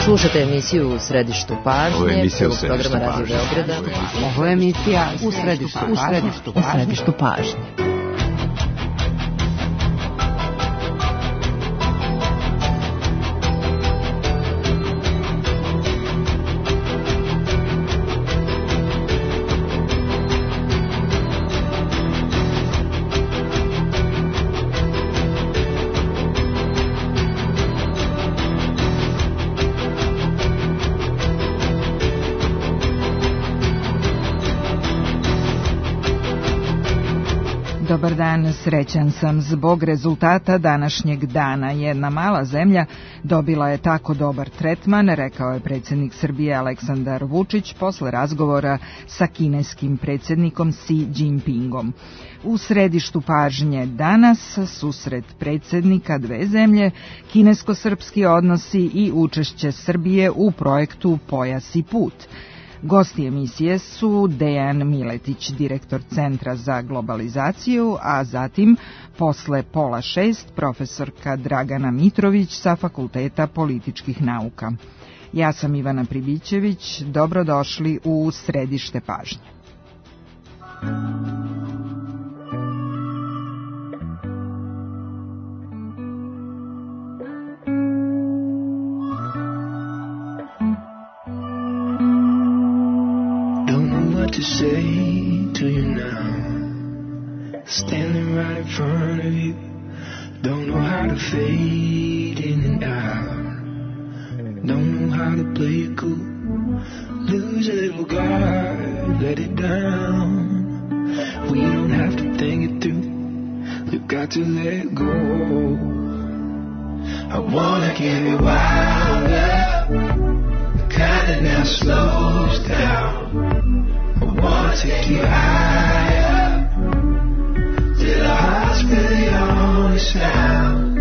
Slušate emisiju U središtu pažnje, prvog programa Radio Beograda. Ovo je emisija U središtu pažnje. Dobar dan, srećan sam zbog rezultata današnjeg dana. Jedna mala zemlja dobila je tako dobar tretman, rekao je predsjednik Srbije Aleksandar Vučić posle razgovora sa kineskim predsjednikom Xi Jinpingom. U središtu pažnje danas susret predsjednika dve zemlje, kinesko-srpski odnosi i učešće Srbije u projektu Pojas i put. Gosti emisije su Dejan Miletić, direktor Centra za globalizaciju, a zatim posle 5:30 profesorka Dragana Mitrović sa Fakulteta političkih nauka. Ja sam Ivana Pribićević, dobrodošli u središte pažnje. To say to you now, standing right in front of you, don't know how to fade in and out, don't know how to play it cool, lose a little guard, let it down, we don't have to think it through, we've got to let it go. I wanna get it wild up, the kind that now slows down. I wanna take you higher, till our hearts feel the only sound.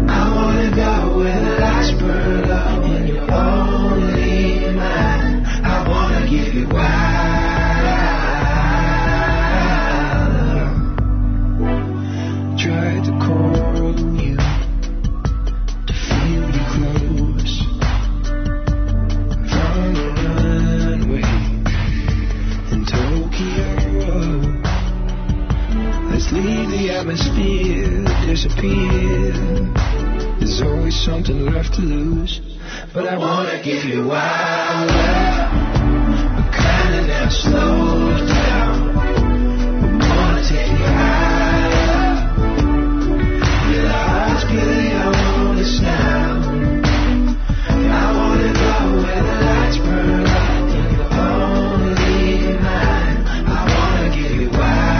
I wanna go where the lights burn up and you're only mine. I wanna give you wild. Tried to call you to feel you close from the runway. Let's leave the atmosphere, disappear. There's always something left to lose, but I wanna give you wild love, a kind that now slows down. I wanna take you higher, till our hearts feel the only sound. I wanna go where the lights burn up and you're only mine. I wanna give you wild.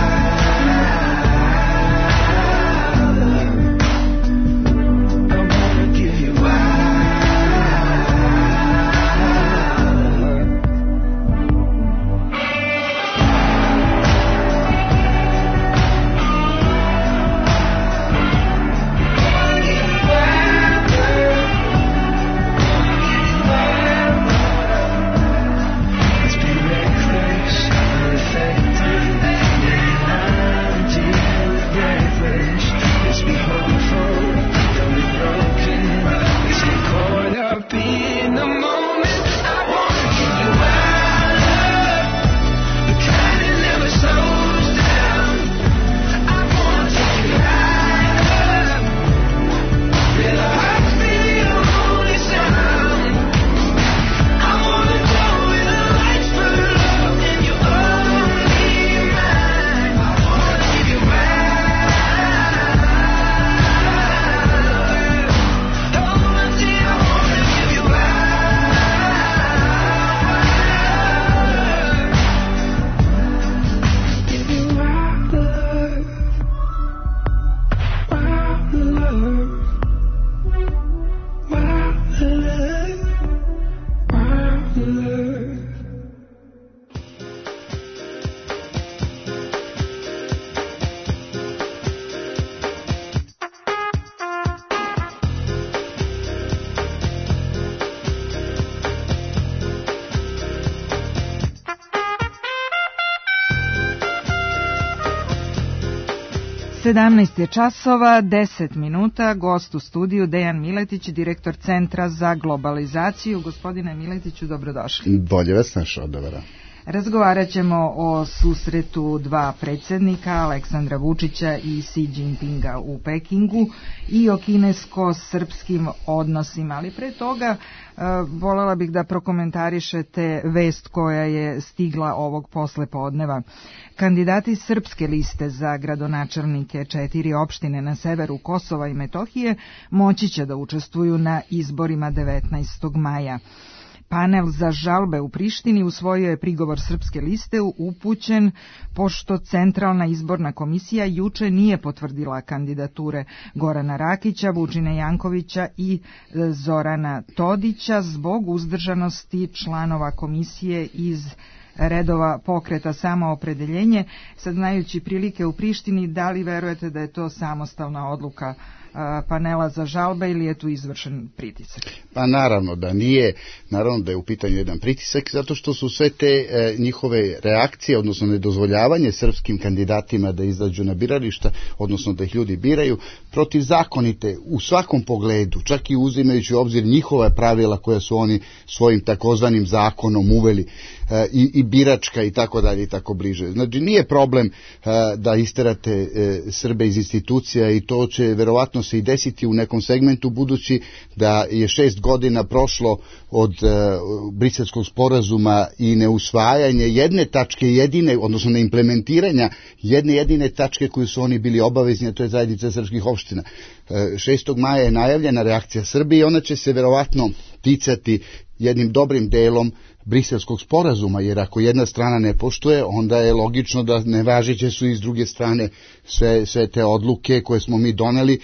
17 je časova, 10 minuta, gost u studiju Dejan Miletić, direktor Centra za globalizaciju. Gospodine Miletiću, dobrodošli. Bolje vas našao, dobra. Razgovarat ćemo o susretu dva predsjednika, Aleksandra Vučića i Xi Jinpinga u Pekingu i o kinesko-srpskim odnosima, ali pre toga voljela bih da prokomentarišete vest koja je stigla ovog poslepodneva. Kandidati srpske liste za gradonačelnike 4 opštine na severu Kosova i Metohije moći će da učestvuju na izborima 19. maja. Panel za žalbe u Prištini usvojio je prigovor srpske liste upućen pošto Centralna izborna komisija juče nije potvrdila kandidature Gorana Rakića, Vučine Jankovića i Zorana Todića zbog uzdržanosti članova komisije iz redova pokreta Samoopredeljenje. Sad, znajući prilike u Prištini, da li verujete da je to samostalna odluka panela za žalbe ili je tu izvršen pritisak? Pa naravno da nije, naravno da je u pitanju jedan pritisak, zato što su sve te njihove reakcije, odnosno nedozvoljavanje srpskim kandidatima da izađu na birališta, odnosno da ih ljudi biraju, protivzakonite u svakom pogledu, čak i uzimajući u obzir njihova pravila koja su oni svojim takozvanim zakonom uveli, i biračka i tako dalje i tako bliže. Znači nije problem da isterate Srbe iz institucija i to će verovatno se i desiti u nekom segmentu, budući da je 6 godina prošlo od Briselskog sporazuma i neusvajanje jedne tačke jedine, odnosno neimplementiranja jedne jedine tačke koju su oni bili obavezni, a to je zajednica srpskih opština. 6. maja je najavljena reakcija Srbije i ona će se verovatno ticati jednim dobrim delom Briselskog sporazuma, jer ako jedna strana ne poštuje, onda je logično da nevažeće su i s druge strane sve te odluke koje smo mi doneli,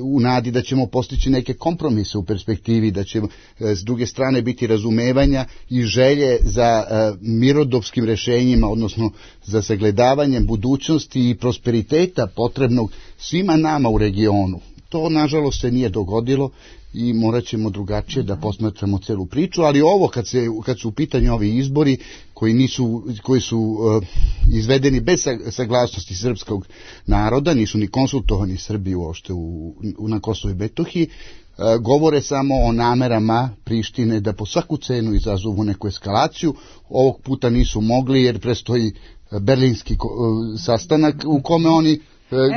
u nadi da ćemo postići neke kompromise u perspektivi, da će s druge strane biti razumevanja i želje za mirodopskim rešenjima, odnosno za sagledavanjem budućnosti i prosperiteta potrebnog svima nama u regionu. To nažalost se nije dogodilo i morat ćemo drugačije da posmatramo celu priču, ali ovo kad su u pitanju ovi izbori koji su izvedeni bez saglasnosti srpskog naroda, nisu ni konsultovani Srbi uopšte na Kosovu i Metohiji, govore samo o namerama Prištine da po svaku cenu izazovu neku eskalaciju. Ovog puta nisu mogli jer prestoji berlinski sastanak u kome oni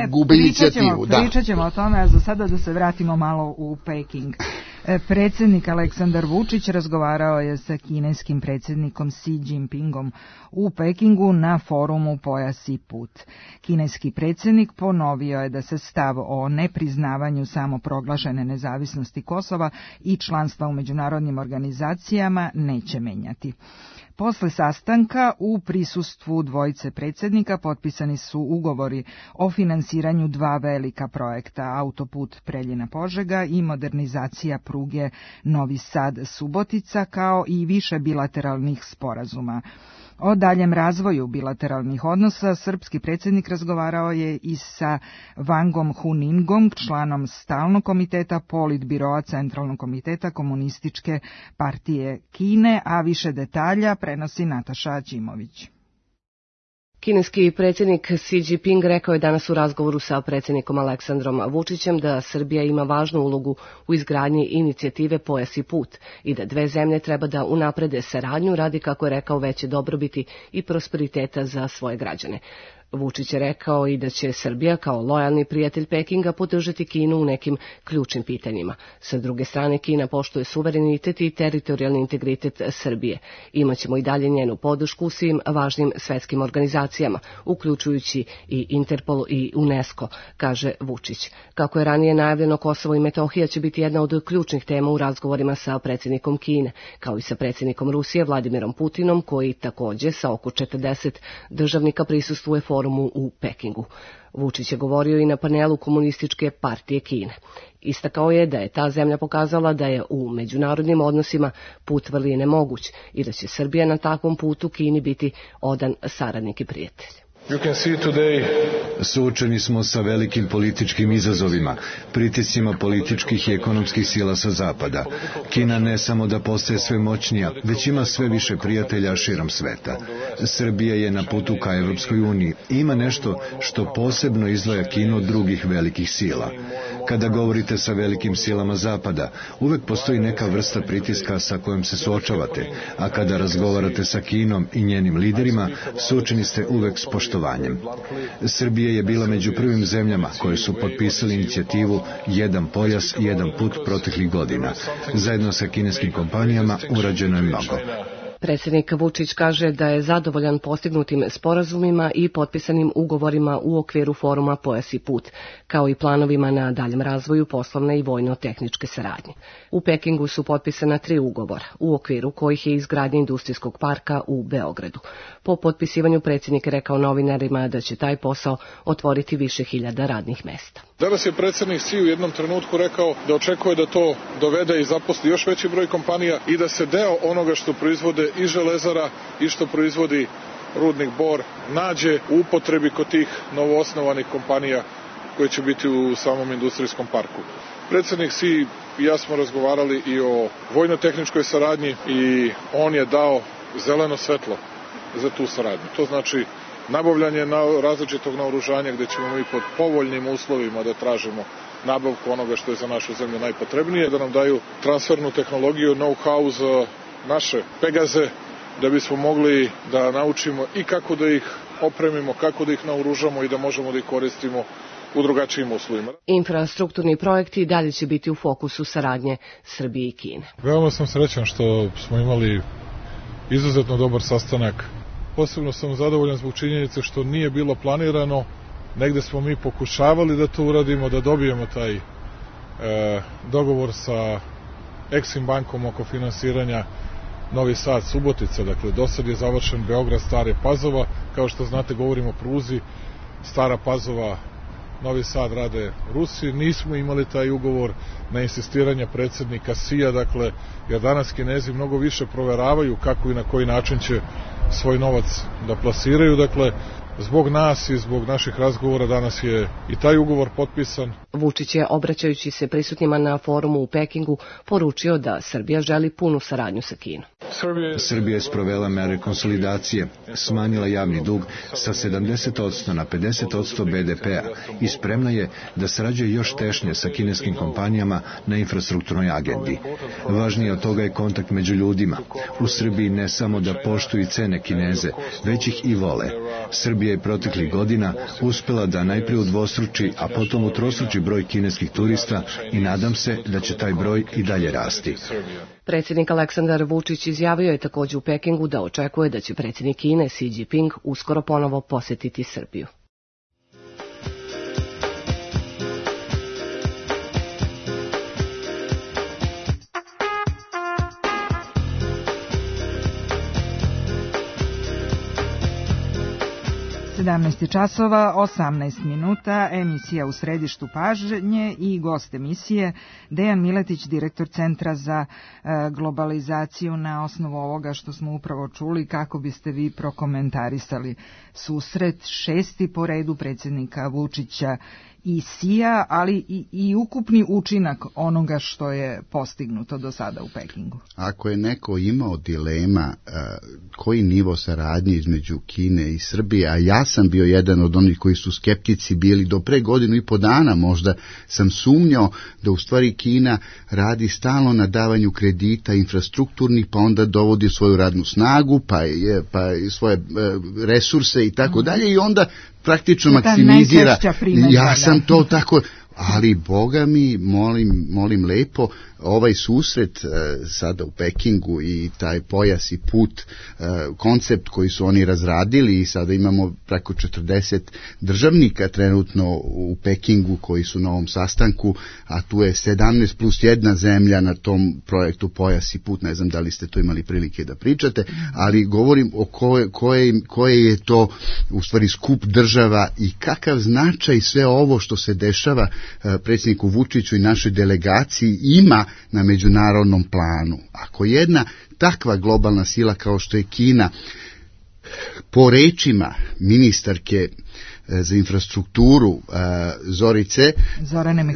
gube inicijativu. Pričat ćemo o tome, a za sada da se vratimo malo u Peking. Predsjednik Aleksandar Vučić razgovarao je sa kineskim predsjednikom Xi Jinpingom u Pekingu na forumu Pojas i put. Kineski predsjednik ponovio je da se stav o nepriznavanju samoproglašene nezavisnosti Kosova i članstva u međunarodnim organizacijama neće menjati. Posle sastanka u prisustvu dvojice predsjednika potpisani su ugovori o finansiranju 2 velika projekta, autoput Preljina-Požega i modernizacija pruge Novi Sad-Subotica, kao i više bilateralnih sporazuma. O daljem razvoju bilateralnih odnosa srpski predsjednik razgovarao je i sa Wangom Huningom, članom stalnog komiteta Politbiroa Centralnog komiteta Komunističke partije Kine, a više detalja prenosi Nataša Aćimović. Kineski predsjednik Xi Jinping rekao je danas u razgovoru sa predsjednikom Aleksandrom Vučićem da Srbija ima važnu ulogu u izgradnji inicijative Pojas i put i da dve zemlje treba da unaprede saradnju radi, kako je rekao, veće dobrobiti i prosperiteta za svoje građane. Vučić je rekao i da će Srbija kao lojalni prijatelj Pekinga podržati Kinu u nekim ključnim pitanjima. Sa druge strane, Kina poštuje suverenitet i teritorijalni integritet Srbije. Imaćemo i dalje njenu podršku u svim važnim svetskim organizacijama, uključujući i Interpol i UNESCO, kaže Vučić. Kako je ranije najavljeno, Kosovo i Metohija će biti jedna od ključnih tema u razgovorima sa predsjednikom Kine, kao i sa predsjednikom Rusije Vladimirom Putinom, koji također sa oko 40 državnika prisustvuje forumu u Pekingu. Vučić je govorio i na panelu Komunističke partije Kine. Istakao je da je ta zemlja pokazala da je u međunarodnim odnosima put vrline moguć i da će Srbija na takvom putu Kini biti odan saradnik i prijatelj. Suočeni smo sa velikim političkim izazovima, pritiscima političkih i ekonomskih sila sa zapada. Kina ne samo da postaje sve moćnija, već ima sve više prijatelja širom sveta. Srbija je na putu ka Evropskoj uniji i ima nešto što posebno izdvaja Kinu od drugih velikih sila. Kada govorite sa velikim silama zapada, uvek postoji neka vrsta pritiska sa kojom se suočavate, a kada razgovarate sa Kinom i njenim liderima, suočeni ste uvek s poštovanjem. Srbija je bila među prvim zemljama koje su potpisali inicijativu Jedan pojas, jedan put proteklih godina. Zajedno sa kineskim kompanijama urađeno je mnogo. Predsjednik Vučić kaže da je zadovoljan postignutim sporazumima i potpisanim ugovorima u okviru foruma Pojas i put, kao i planovima na daljem razvoju poslovne i vojno-tehničke saradnje. U Pekingu su potpisana 3 ugovora, u okviru kojih je izgradnja industrijskog parka u Beogradu. Po potpisivanju predsjednik rekao novinarima da će taj posao otvoriti više hiljada radnih mesta. Danas je predsjednik Xi u jednom trenutku rekao da očekuje da to dovede i zaposli još veći broj kompanija i da se deo onoga što proizvode i Železara i što proizvodi rudnik Bor nađe u upotrebi kod tih novoosnovanih kompanija koje će biti u samom industrijskom parku. Predsjednik Xi i ja smo razgovarali i o vojno-tehničkoj saradnji i on je dao zeleno svetlo za tu saradnju. To znači nabavljanje različitog naoružanja gdje ćemo mi pod povoljnim uslovima da tražimo nabavku onoga što je za našu zemlju najpotrebnije, da nam daju transfernu tehnologiju, know-how za naše Pegaze, da bismo mogli da naučimo i kako da ih opremimo, kako da ih naoružamo i da možemo da ih koristimo u drugačijim uslovima. Infrastrukturni projekti dalje će biti u fokusu saradnje Srbije i Kine. Veoma sam srećan što smo imali izuzetno dobar sastanak. Posebno sam zadovoljan zbog činjenice što nije bilo planirano. Negde smo mi pokušavali da to uradimo, da dobijemo taj dogovor sa Exim bankom oko finansiranja Novi Sad, Subotica. Dakle, do sad je završen Beograd, Stara Pazova. Kao što znate, govorimo o pruzi Stara Pazova, Novi Sad rade Rusi. Nismo imali taj ugovor na insistiranje predsjednika Xija, dakle, jer danas Kinezi mnogo više proveravaju kako i na koji način će svoj novac da plasiraju. Dakle, zbog nas i zbog naših razgovora danas je i taj ugovor potpisan. Vučić je, obraćajući se prisutnima na forumu u Pekingu, poručio da Srbija želi punu saradnju sa Kinom. Srbija je sprovela mere konsolidacije, smanjila javni dug sa 70% na 50% BDP-a i spremna je da sarađuje još tešnje sa kineskim kompanijama na infrastrukturnoj agendi. Važnije od toga je kontakt među ljudima. U Srbiji ne samo da poštuju i cene Kineze, već ih i vole. Srbija je proteklih godina uspela da najprije udvostruči, a potom utrostruči broj kineskih turista i nadam se da će taj broj i dalje rasti. Predsjednik Aleksandar Vučić izjavio je također u Pekingu da očekuje da će predsjednik Kine Xi Jinping uskoro ponovo posjetiti Srbiju. časova, 18 minuta, emisija U središtu pažnje i gost emisije Dejan Miletić, direktor Centra za globalizaciju. Na osnovu ovoga što smo upravo čuli, kako biste vi prokomentarisali susret 6. po redu predsjednika Vučića i Xija, ali i ukupni učinak onoga što je postignuto do sada u Pekingu? Ako je neko imao dilema koji nivo saradnje između Kine i Srbije, a ja sam bio jedan od onih koji su skeptici bili do pre 1.5 godina, možda sam sumnjao da u stvari Kina radi stalno na davanju kredita infrastrukturnih, pa onda dovodi svoju radnu snagu, pa svoje resurse i tako dalje, i onda praktično maksimizira. Ja sam to tako, ali Boga mi, molim lepo, ovaj susret sada u Pekingu i taj pojas i put, koncept koji su oni razradili, i sada imamo preko 40 državnika trenutno u Pekingu koji su na ovom sastanku, a tu je 17 plus 1 zemlja na tom projektu pojas i put. Ne znam da li ste to imali prilike da pričate, ali govorim o koje je to u stvari skup država i kakav značaj sve ovo što se dešava predsjedniku Vučiću i našoj delegaciji ima na međunarodnom planu. Ako jedna takva globalna sila kao što je Kina po rečima ministarke za infrastrukturu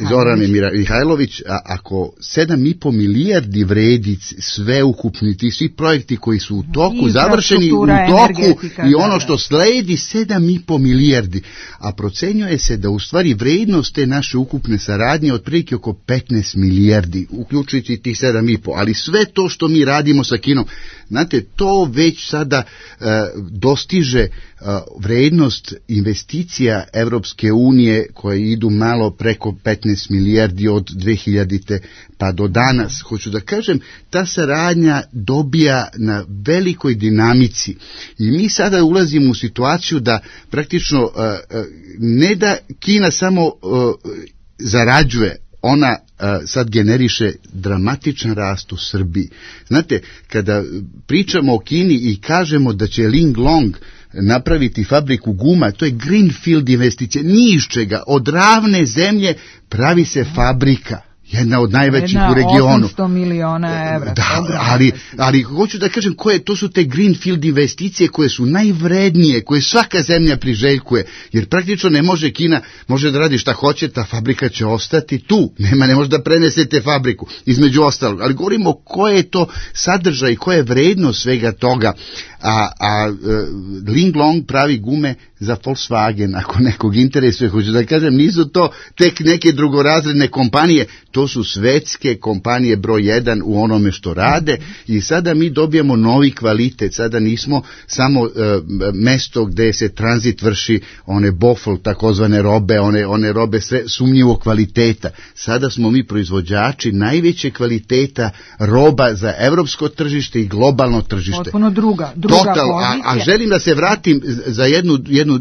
Zorane Mihajlović, ako 7,5 milijardi vredi sveukupni ti svi projekti koji su u toku, završeni u toku i ono što sledi 7,5 milijardi, a procenjuje se da u stvari vrednost te naše ukupne saradnje otprilike oko 15 milijardi, uključujući tih 7,5, ali sve to što mi radimo sa Kinom, znate, to već sada dostiže vrednost investicija Evropske unije koje idu malo preko 15 milijardi od 2000. pa do danas. Hoću da kažem, ta saradnja dobija na velikoj dinamici i mi sada ulazimo u situaciju da praktično ne da Kina samo zarađuje, ona sad generiše dramatičan rast u Srbiji. Znate, kada pričamo o Kini i kažemo da će Linglong napraviti fabriku guma, to je greenfield investicija, ni iz čega, od ravne zemlje pravi se fabrika. Jedna od najvećih u regionu. 800 miliona evra. Da, ali hoću da kažem to su te greenfield investicije koje su najvrednije, koje svaka zemlja priželjkuje, jer praktično ne može Kina, može da radi šta hoće, ta fabrika će ostati tu, ne može da prenesete fabriku, između ostalog, ali govorimo koje je to sadržaj i koja je vrednost svega toga, a Linglong pravi gume za Volkswagen, ako nekog interesuje, hoću da kažem, nisu to tek neke drugorazredne kompanije, to su svetske kompanije broj 1 u onome što rade i sada mi dobijamo novi kvalitet, sada nismo samo mesto gde se tranzit vrši, one bofl, takozvane robe, one robe sve sumnjivog kvaliteta, sada smo mi proizvođači najveće kvaliteta roba za evropsko tržište i globalno tržište. Potpuno druga pozicija. A želim da se vratim za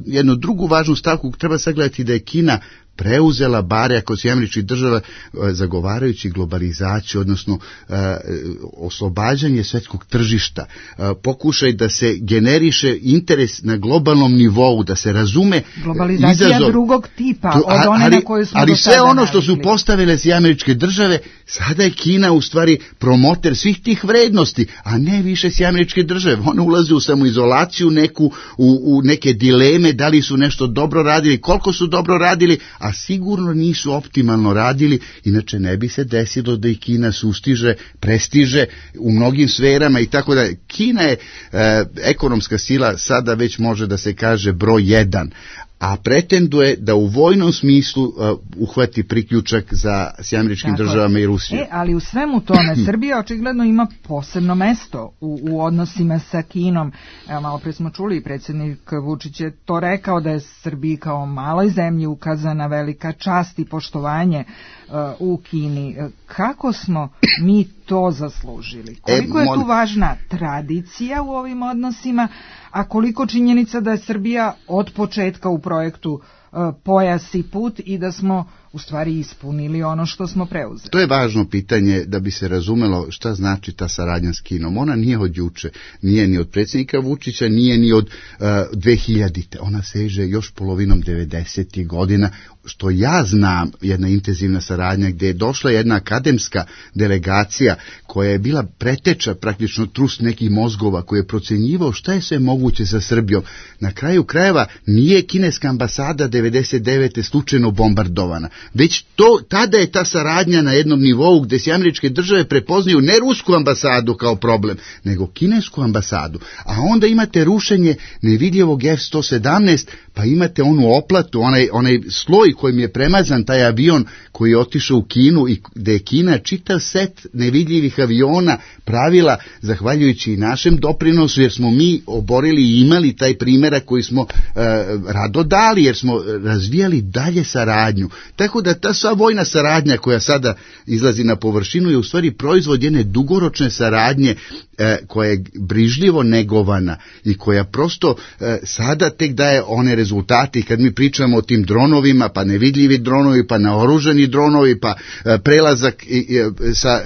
jednu drugu važnu stavku, treba sagledati da je Kina preuzela, bare ako se Američkih država, zagovarajući globalizaciju, odnosno oslobađanje svetskog tržišta, pokušaj da se generiše interes na globalnom nivou, da se razume globalizacija izazov drugog tipa od one na koju smo ali sve ono što su postavile se Američke države, sada je Kina u stvari promoter svih tih vrednosti, a ne više se Američke države. One ulaze u samoizolaciju neku, u neke dileme, da li su nešto dobro radili, koliko su dobro radili, a sigurno nisu optimalno radili, inače ne bi se desilo da i Kina sustiže, prestiže u mnogim sferama i tako da. Kina je ekonomska sila, sada već može da se kaže broj 1, a pretenduje da u vojnom smislu uhvati priključak s Američkim državama i Rusijom. Ali u svemu tome Srbija očigledno ima posebno mesto u odnosima sa Kinom. Evo, malo pre smo čuli, predsjednik Vučić je to rekao da je Srbiji kao maloj zemlji ukazana velika čast i poštovanje u Kini. Kako smo mi to zaslužili? Koliko je tu važna tradicija u ovim odnosima, a koliko činjenica da je Srbija od početka u projektu Pojas i put i da smo u stvari ispunili ono što smo preuzeli? To je važno pitanje da bi se razumelo šta znači ta saradnja s Kinom. Ona nije od juče, nije ni od predsjednika Vučića, nije ni od 2000. Ona seže još polovinom 90. godina, što ja znam, jedna intenzivna saradnja gdje je došla jedna akademska delegacija koja je bila preteča, praktično trust nekih mozgova, koji je procenjivao šta je sve moguće sa Srbijom. Na kraju krajeva nije kineska ambasada 99. slučajno bombardovana, već tada je ta saradnja na jednom nivou gdje se Američke države prepoznaju ne rusku ambasadu kao problem, nego kinesku ambasadu. A onda imate rušenje nevidljivog F-117, pa imate onu oplatu, onaj sloj kojim je premazan taj avion koji je otišao u Kinu i gde je Kina čitav set nevidljivih aviona pravila zahvaljujući i našem doprinosu, jer smo mi oborili i imali taj primjerak koji smo rado dali, jer smo razvijali dalje saradnju. Tako da ta sva vojna saradnja koja sada izlazi na površinu je u stvari proizvod jedne dugoročne saradnje koja je brižljivo negovana i koja prosto sada tek daje one rezultate. Kad mi pričamo o tim dronovima, pa nevidljivi dronovi, pa naoružani dronovi, pa prelazak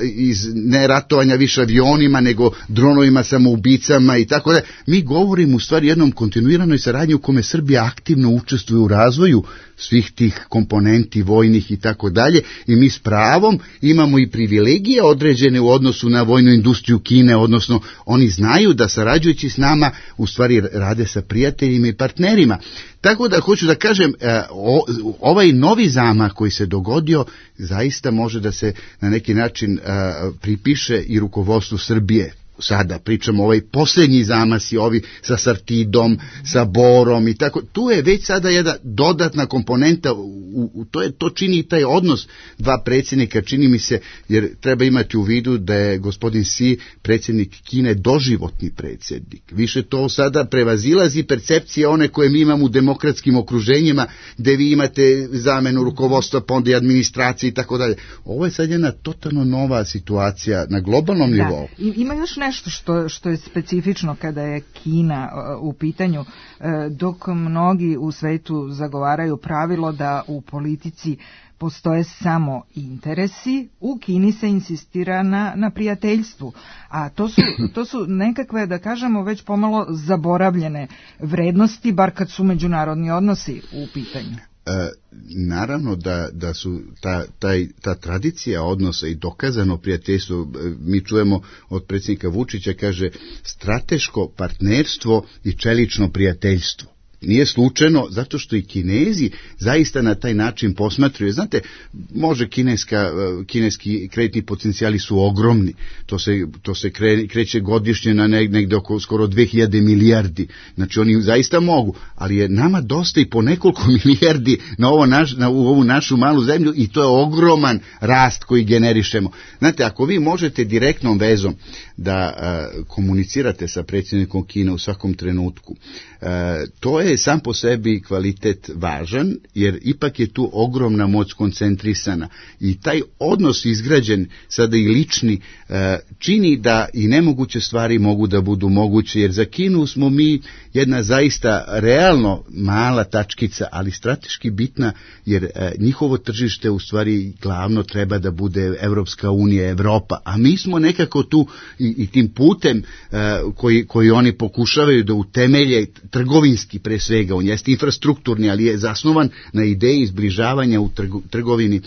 iz neratovanja više avionima, nego dronovima samoubicama i tako da. Mi govorimo u stvari jednom kontinuiranoj saradnji u kome Srbija aktivno učestvuje u razvoju razvoju svih tih komponenti vojnih i tako dalje, i mi s pravom imamo i privilegije određene u odnosu na vojnu industriju Kine, odnosno oni znaju da sarađujući s nama u stvari rade sa prijateljima i partnerima. Tako da hoću da kažem, ovaj novi zamah koji se dogodio zaista može da se na neki način pripiše i rukovodstvu Srbije. Sada pričamo ovaj posljednji zamasi, ovi sa Sartidom, sa Borom i tako. Tu je već sada jedna dodatna komponenta, to čini taj odnos dva predsjednika, čini mi se, jer treba imati u vidu da je gospodin Xi, predsjednik Kine, doživotni predsjednik. Više to sada prevazilazi percepcije one koje mi imamo u demokratskim okruženjima, gde vi imate zamenu rukovodstva, pa onda i administracije i tako dalje. Ovo je sad jedna totalno nova situacija na globalnom nivou. Ima još nešto što je specifično kada je Kina u pitanju, dok mnogi u svetu zagovaraju pravilo da u politici postoje samo interesi, u Kini se insistira na prijateljstvu, a to su nekakve, da kažemo, već pomalo zaboravljene vrednosti, bar kad su međunarodni odnosi u pitanju. Naravno da su ta tradicija odnosa i dokazano prijateljstvo, mi čujemo od predsjednika Vučića, kaže strateško partnerstvo i čelično prijateljstvo. Nije slučajno, zato što i Kinezi zaista na taj način posmatruju. Znate, može kineski kreditni potencijali su ogromni. To se kreće godišnje na negde oko skoro 2000 milijardi. Znači oni zaista mogu, ali je nama dosta i po nekoliko milijardi u ovu našu malu zemlju, i to je ogroman rast koji generišemo. Znate, ako vi možete direktnom vezom da komunicirate sa predsjednikom Kine u svakom trenutku, to je sam po sebi kvalitet važan, jer ipak je tu ogromna moć koncentrisana i taj odnos izgrađen, sada i lični, čini da i nemoguće stvari mogu da budu moguće, jer za Kinu smo mi jedna zaista realno mala tačkica, ali strateški bitna, jer njihovo tržište u stvari glavno treba da bude Evropska unija, Evropa, a mi smo nekako tu i tim putem koji oni pokušavaju da utemelje trgovinski, pre svega, on jeste infrastrukturni, ali je zasnovan na ideji zbližavanja u trgovini.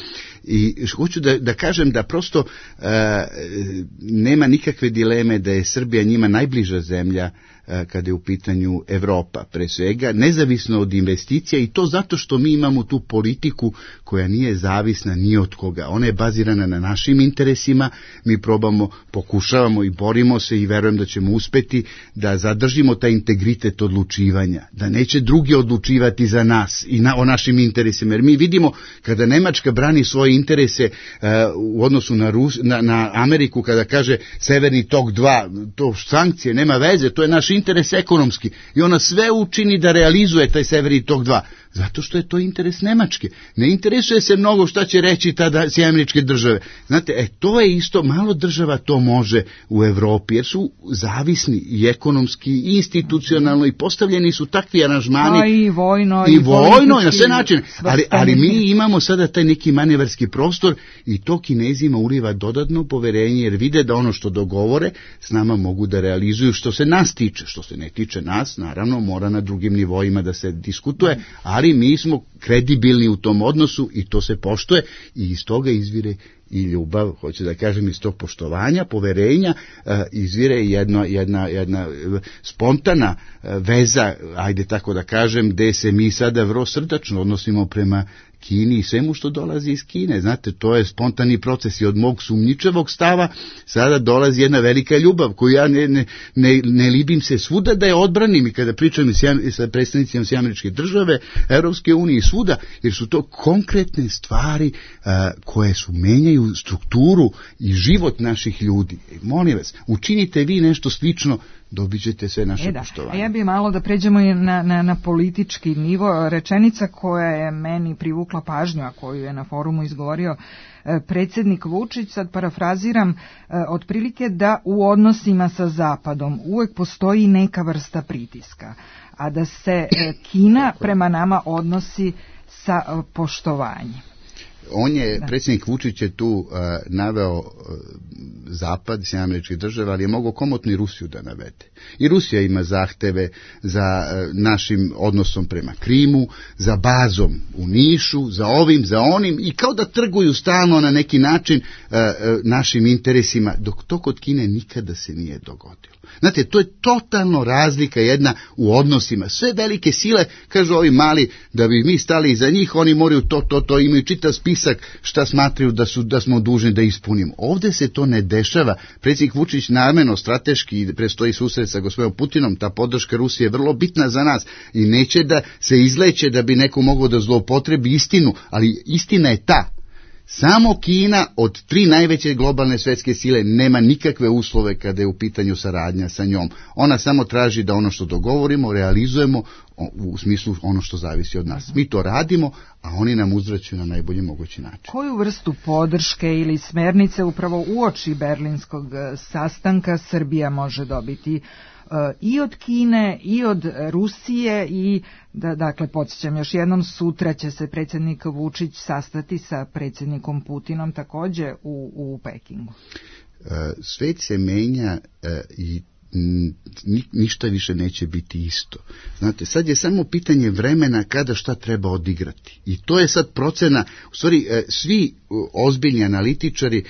I hoću da kažem da prosto nema nikakve dileme da je Srbija njima najbliža zemlja kada je u pitanju Evropa, pre svega, nezavisno od investicija, i to zato što mi imamo tu politiku koja nije zavisna ni od koga. Ona je bazirana na našim interesima, mi pokušavamo i borimo se i verujem da ćemo uspeti da zadržimo taj integritet odlučivanja, da neće drugi odlučivati za nas i o našim interesima, jer mi vidimo kada Nemačka brani svoje interese u odnosu na Ameriku, kada kaže Severni tok 2, to sankcije, nema veze, to je naš interes ekonomski, i ona sve učini da realizuje taj Severni tok 2, zato što je to interes Nemačke. Ne interesuje se mnogo šta će reći tada Američke države. Znate, to je isto, malo država to može u Evropi, jer su zavisni i ekonomski, i institucionalno, i postavljeni su takvi aranžmani. I vojno, i na sve načine. Ali mi imamo sada taj neki manevarski prostor, i to Kinezima uliva dodatno poverenje, jer vide da ono što dogovore s nama mogu da realizuju što se nas tiče. Što se ne tiče nas, naravno, mora na drugim nivoima da se diskutuje, ali mi smo kredibilni u tom odnosu i to se poštuje, i iz toga izvire i ljubav, hoću da kažem, iz tog poštovanja, poverenja, izvire jedna spontana veza, ajde tako da kažem, gde se mi sada vrlo srdačno odnosimo prema Kini i svemu što dolazi iz Kine. Znate, to je spontani proces, i od mog sumnjičavog stava sada dolazi jedna velika ljubav koju ja ne libim se svuda da je odbranim, i kada pričam sa predstavnicima Američke države, Evropske unije i svuda, jer su to konkretne stvari koje menjaju strukturu i život naših ljudi. Molim vas, učinite vi nešto slično, dobit ćete sve naše poštovanje. Ja bih malo da pređemo na politički nivo. Rečenica koja je meni privukla pažnju, a koju je na forumu izgovorio predsjednik Vučić, sad parafraziram, otprilike da u odnosima sa Zapadom uvek postoji neka vrsta pritiska, a da se Kina prema nama odnosi sa poštovanjem. Predsjednik Vučić je tu naveo Zapad, Sjedinjene Američke Države, ali je mogao komotno i Rusiju da navede. I Rusija ima zahteve za našim odnosom prema Krimu, za bazom u Nišu, za ovim, za onim, i kao da trguju stalno na neki način našim interesima, dok to kod Kine nikada se nije dogodilo. Znate, to je totalno razlika jedna u odnosima. Sve velike sile, kažu ovi mali, da bi mi stali iza njih, oni moraju to, imaju čitav spisak šta smatraju da smo dužni da ispunimo. Ovdje se to ne dešava. Predsjednik Vučić namjerno, strateški, prestoji susret sa gospodinom Putinom, ta podrška Rusije je vrlo bitna za nas i neće da se izleće da bi neko mogao da zloupotrebi istinu, ali istina je ta. Samo Kina od 3 najveće globalne svjetske sile nema nikakve uslove kada je u pitanju saradnja sa njom. Ona samo traži da ono što dogovorimo, realizujemo u smislu ono što zavisi od nas. Mi to radimo, a oni nam uzvraćaju na najbolji mogući način. Koju vrstu podrške ili smernice upravo uoči berlinskog sastanka Srbija može dobiti i od Kine i od Rusije i dakle podsjećam još jednom, sutra će se predsjednik Vučić sastati sa predsjednikom Putinom također u Pekingu. Svet se menja i ništa više neće biti isto. Znate, sad je samo pitanje vremena kada šta treba odigrati. I to je sad procena, u stvari svi ozbiljni analitičari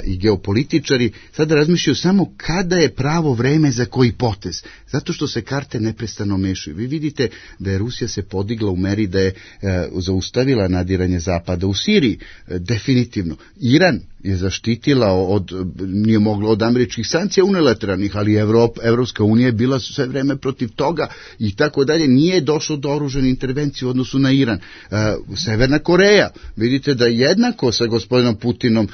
i geopolitičari sada razmišljaju samo kada je pravo vreme za koji potez. Zato što se karte neprestano mešaju. Vi vidite da je Rusija se podigla u meri da je zaustavila nadiranje Zapada u Siriji. Definitivno. Iran je zaštitila nije moglo od američkih sankcija unilateralnih, ali Evropska unija je bila sve vreme protiv toga i tako dalje. Nije došlo do oružane intervencije u odnosu na Iran. Severna Koreja, vidite da jednako sa gospodinom Putinom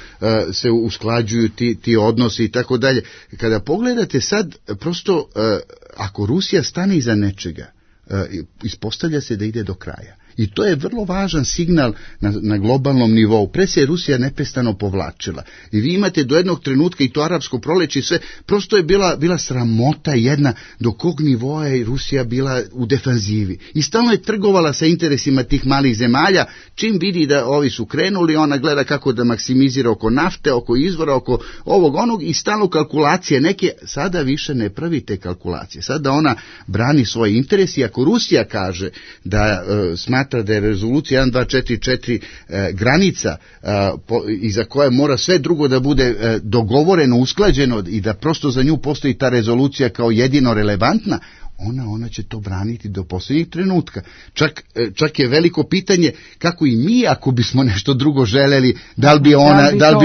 se usklađuju ti odnosi i tako dalje. Kada pogledate sad, prosto ako Rusija stane iza nečega, ispostavlja se da ide do kraja. I to je vrlo važan signal na globalnom nivou. Pre se je Rusija neprestano povlačila. I vi imate do jednog trenutka, i to arapsko proleće i sve, prosto je bila sramota jedna do kog nivoa je Rusija bila u defanzivi. I stalno je trgovala sa interesima tih malih zemalja. Čim vidi da ovi su krenuli, ona gleda kako da maksimizira oko nafte, oko izvora, oko ovog onog i stalno kalkulacije neke. Sada više ne pravi te kalkulacije. Sada ona brani svoje interese i ako Rusija kaže da smatra da je rezolucija 1244 granica iza koje mora sve drugo da bude dogovoreno, usklađeno i da prosto za nju postoji ta rezolucija kao jedino relevantna, ona će to braniti do posljednjeg trenutka. Čak je veliko pitanje kako i mi, ako bismo nešto drugo želeli, da li bi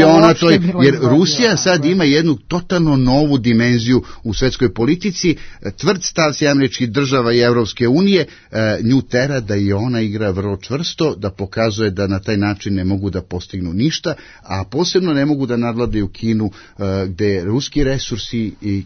ona to, jer Rusija sad ima jednu totalno novu dimenziju u svjetskoj politici, tvrd stav Sjedinjenih Američkih Država i Evropske unije nju tera da i ona igra vrlo čvrsto, da pokazuje da na taj način ne mogu da postignu ništa, a posebno ne mogu da nadvladaju Kinu, gde ruski resursi i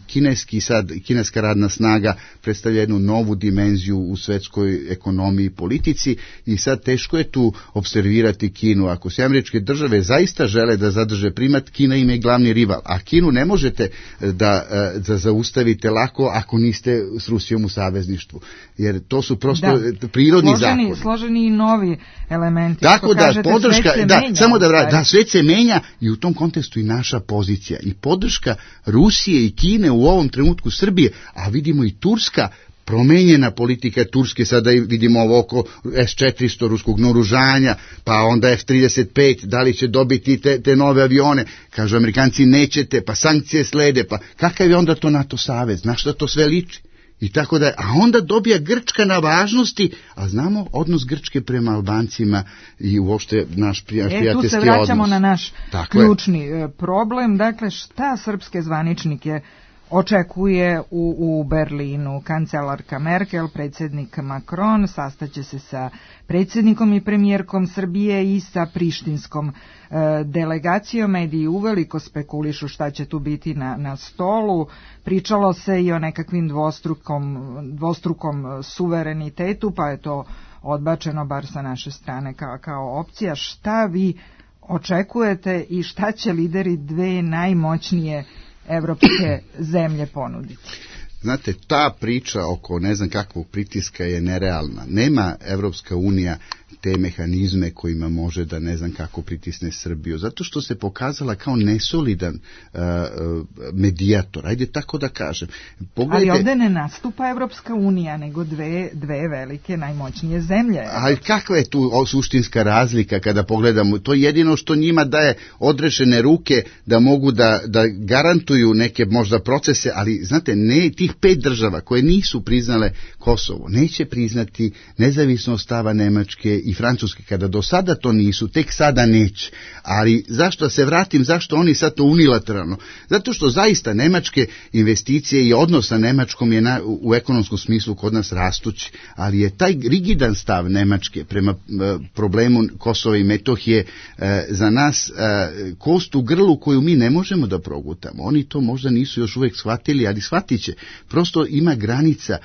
kineska radna snaga predstavlja jednu novu dimenziju u svjetskoj ekonomiji i politici i sad teško je tu observirati Kinu. Ako Sjedinjene Američke Države zaista žele da zadrže primat, Kina im je glavni rival, a Kinu ne možete da zaustavite lako ako niste s Rusijom u savezništvu, jer to su prosto prirodni zakoni. Složeni i novi elementi. Tako da podrška, svet se menja i u tom kontekstu i naša pozicija i podrška Rusije i Kine u ovom trenutku Srbije, a vidimo i Turska, promenjena politika Turske, sada vidimo ovo oko S-400 ruskog naoružanja, pa onda F-35, da li će dobiti te nove avione, kažu Amerikanci nećete, pa sankcije slede, pa kakav je onda to NATO savez, na šta to sve liči? I tako da, a onda dobija Grčka na važnosti, a znamo odnos Grčke prema Albancima i uopšte naš prijateljski odnos. Tu se vraćamo na naš ključni problem, dakle šta srpske zvaničnike očekuje u Berlinu. Kancelarka Merkel, predsjednik Macron sastaće se sa predsjednikom i premijerkom Srbije i sa prištinskom delegacijom. Mediji uveliko spekulišu šta će tu biti na stolu. Pričalo se i o nekakvim dvostrukom suverenitetu, pa je to odbačeno bar sa naše strane kao opcija. Šta vi očekujete i šta će lideri dve najmoćnije evropske zemlje ponuditi? Znate, ta priča oko ne znam kakvog pritiska je nerealna. Nema Evropska unija te mehanizme kojima može da ne znam kako pritisne Srbiju, zato što se pokazala kao nesolidan medijator, ajde tako da kažem. Ali ovde ne nastupa Evropska unija, nego dve velike, najmoćnije zemlje. Ali kakva je tu suštinska razlika kada pogledamo? To je jedino što njima daje odrešene ruke da mogu da garantuju neke možda procese, ali znate, ne tih 5 država koje nisu priznale Kosovo, neće priznati nezavisnost stava Nemačke i Francuske, kada do sada to nisu, tek sada neće. Ali zašto se vratim, zašto oni sad to unilateralno? Zato što zaista nemačke investicije i odnos sa Nemačkom je u ekonomskom smislu kod nas rastući, ali je taj rigidan stav Nemačke prema problemu Kosova i Metohije za nas kost u grlu koju mi ne možemo da progutamo. Oni to možda nisu još uvijek shvatili, ali shvatit će. Prosto ima granica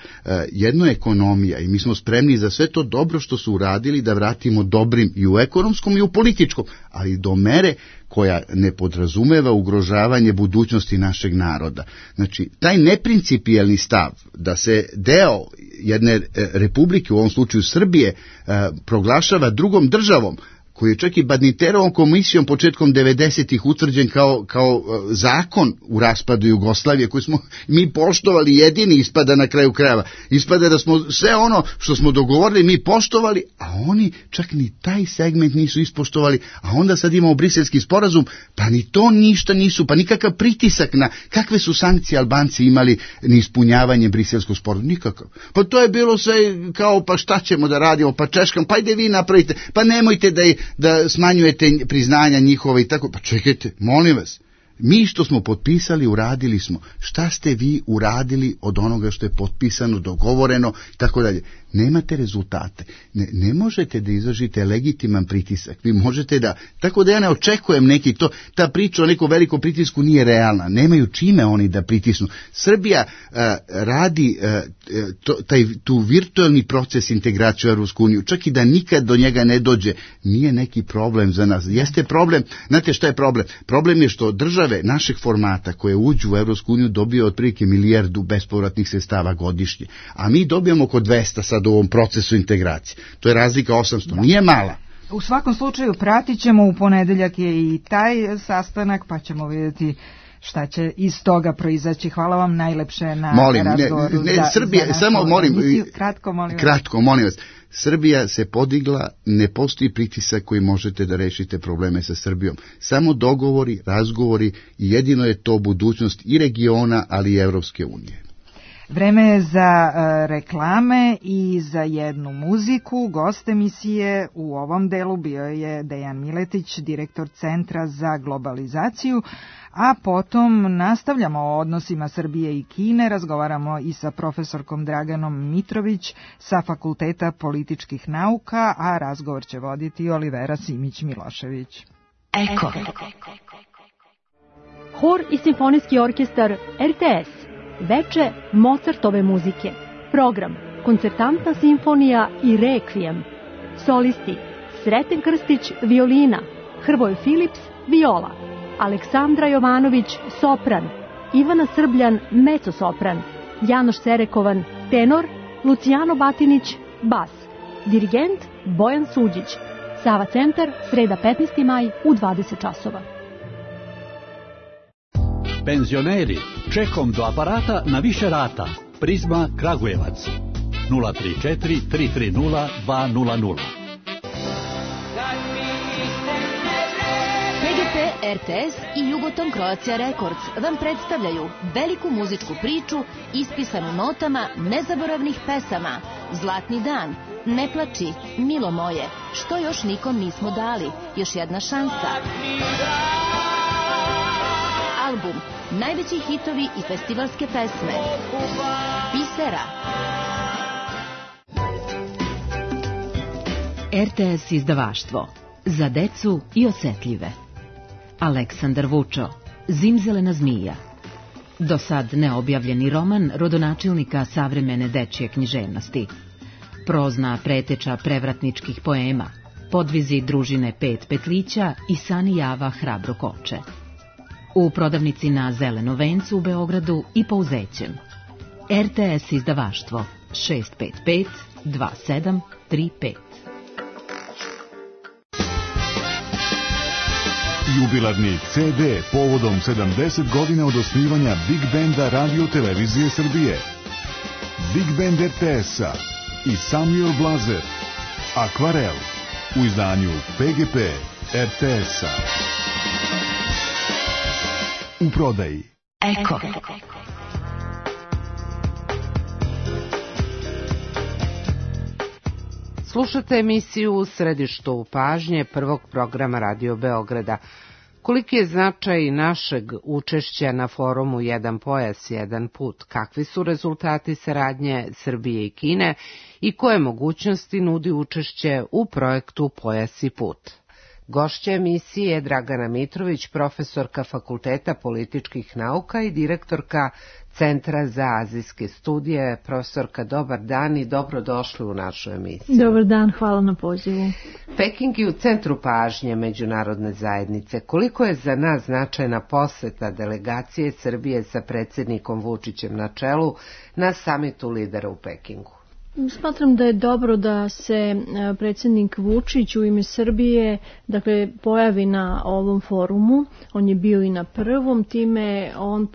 jedno ekonomija i mi smo spremni za sve to dobro što su uradili da vratimo dobrim i u ekonomskom i u političkom, ali do mere koja ne podrazumeva ugrožavanje budućnosti našeg naroda. Znači, taj neprincipijelni stav da se deo jedne republike, u ovom slučaju Srbije, proglašava drugom državom, koji je čak i Badinterovom komisijom početkom 90-ih utvrđen kao zakon u raspadu Jugoslavije, koji smo mi poštovali, jedini ispada na kraju krajeva. Ispada da smo sve ono što smo dogovorili mi poštovali, a oni čak ni taj segment nisu ispoštovali, a onda sad imamo briselski sporazum, pa ni to ništa nisu, pa nikakav pritisak na kakve su sankcije Albanci imali ni ispunjavanje briselskog sporazuma, nikakav. Pa to je bilo sve kao, pa šta ćemo da radimo, pa češkam, pa ide vi napravite, pa nemojte da smanjujete priznanja njihova i tako. Pa čekajte, molim vas, mi što smo potpisali, uradili smo. Šta ste vi uradili od onoga što je potpisano, dogovoreno i tako dalje? Nemate rezultate. Ne možete da izvršite legitiman pritisak. Vi možete da, tako da ja ne očekujem neki to, ta priča o nekom velikom pritisku nije realna. Nemaju čime oni da pritisnu. Srbija radi tu virtualni proces integracije u Evropsku uniju. Čak i da nikad do njega ne dođe, nije neki problem za nas. Jeste problem, znate šta je problem? Problem je što države našeg formata koje uđu u Evropsku uniju dobiju otprilike 1 milijardu bespovratnih sredstava godišnje. A mi dobijamo oko 200 sad u ovom procesu integracije. To je razlika 800. Nije mala. U svakom slučaju pratit ćemo, u ponedeljak je i taj sastanak, pa ćemo vidjeti šta će iz toga proizaći. Hvala vam najlepše na razgovoru. Srbija, samo kratko, molim vas. Srbija se podigla, ne postoji pritisak koji možete da rešite probleme sa Srbijom. Samo dogovori, razgovori i jedino je to budućnost i regiona, ali i Evropske unije. Vreme je za reklame i za jednu muziku. Gost emisije u ovom delu bio je Dejan Miletić, direktor Centra za globalizaciju, a potom nastavljamo o odnosima Srbije i Kine, razgovaramo i sa profesorkom Draganom Mitrović sa Fakulteta političkih nauka, a razgovor će voditi Olivera Simić-Milošević. Eko. Hor i simfonijski orkestar RTS. Veče Mozartove muzike. Program Koncertantna simfonija i Rekvijem. Solisti Sreten Krstić violina, Hrvoje Filips viola, Aleksandra Jovanović sopran, Ivana Srbljan mezzo-sopran, Janoš Serekovan tenor, Lucijano Batinić bas. Dirigent Bojan Suđić. Sava centar, sreda 15. maj u 20 časova. Penzioneri, čekom do aparata na više rata. Prizma Kragujevac 034 330 200. PGP, RTS i Jugoton Croatia Records vam predstavljaju veliku muzičku priču ispisanu notama nezaboravnih pesama. Zlatni dan, Ne plači, Milo moje, Što još nikom nismo dali, Još jedna šansa. Album, najveći hitovi i festivalske pesme. Bisera. RTS izdavaštvo. Za decu i osetljive. Aleksandar Vučo. Zimzelena zmija. Do sad neobjavljeni roman rodonačelnika savremene dečje književnosti. Prozna preteča prevratničkih poema. Podvizi družine 5 petlića i Sani Java hrabro koče. U prodavnici na Zelenom vencu u Beogradu i po Uzećem. RTS izdavaštvo 655 2735. Jubilarni CD povodom 70 godina od osnivanja Big Benda Radio Televizije Srbije. Big Band RTS-a i Samuel Blazer, Akvarel, u izdanju PGP RTS-a. U prodaji Eko. Slušate emisiju U središtu pažnje prvog programa Radio Beograda. Koliki je značaj našeg učešća na forumu Jedan pojas, jedan put? Kakvi su rezultati saradnje Srbije i Kine i koje mogućnosti nudi učešće u projektu Pojas i put? Gošća emisije je Dragana Mitrović, profesorka Fakulteta političkih nauka i direktorka Centra za azijske studije. Profesorka, dobar dan i dobrodošli u našu emisiju. Dobar dan, hvala na pozivu. Peking je u centru pažnje međunarodne zajednice. Koliko je za nas značajna poseta delegacije Srbije sa predsjednikom Vučićem na čelu na samitu lidera u Pekingu? Smatram da je dobro da se predsjednik Vučić u ime Srbije pojavi na ovom forumu. On je bio i na prvom, time on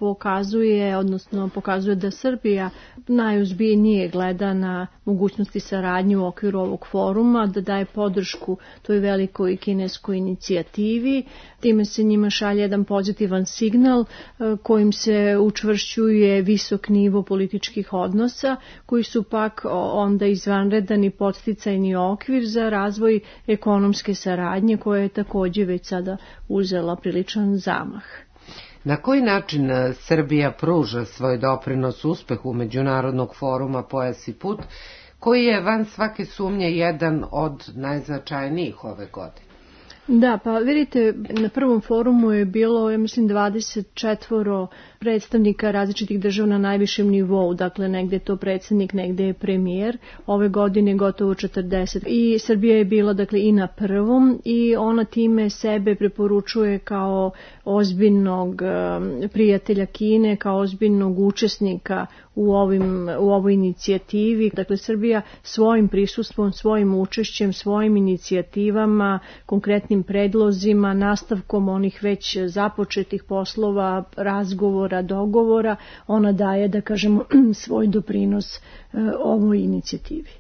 pokazuje da Srbija najozbiljnije gleda na mogućnosti saradnje u okviru ovog foruma, da daje podršku toj velikoj kineskoj inicijativi. Time se njima šalje jedan pozitivan signal kojim se učvršćuje visok nivo političkih odnosa, koji su pak onda izvanredan i podsticajni okvir za razvoj ekonomske saradnje koja je također već sada uzela priličan zamah. Na koji način Srbija pruža svoj doprinos uspehu Međunarodnog foruma Pojas i put, koji je van svake sumnje jedan od najznačajnijih ove godine? Da, pa vidite, na prvom forumu je bilo, ja mislim, 24 predstavnika različitih država na najvišem nivou, dakle negde je to predsjednik, negde je premijer, ove godine gotovo 40. I Srbija je bila i na prvom i ona time sebe preporučuje kao ozbiljnog prijatelja Kine, kao ozbiljnog učesnika u ovoj inicijativi. Dakle, Srbija svojim prisustvom, svojim učešćem, svojim inicijativama, konkretnim predlozima, nastavkom onih već započetih poslova, razgovora, dogovora, ona daje, svoj doprinos ovoj inicijativi.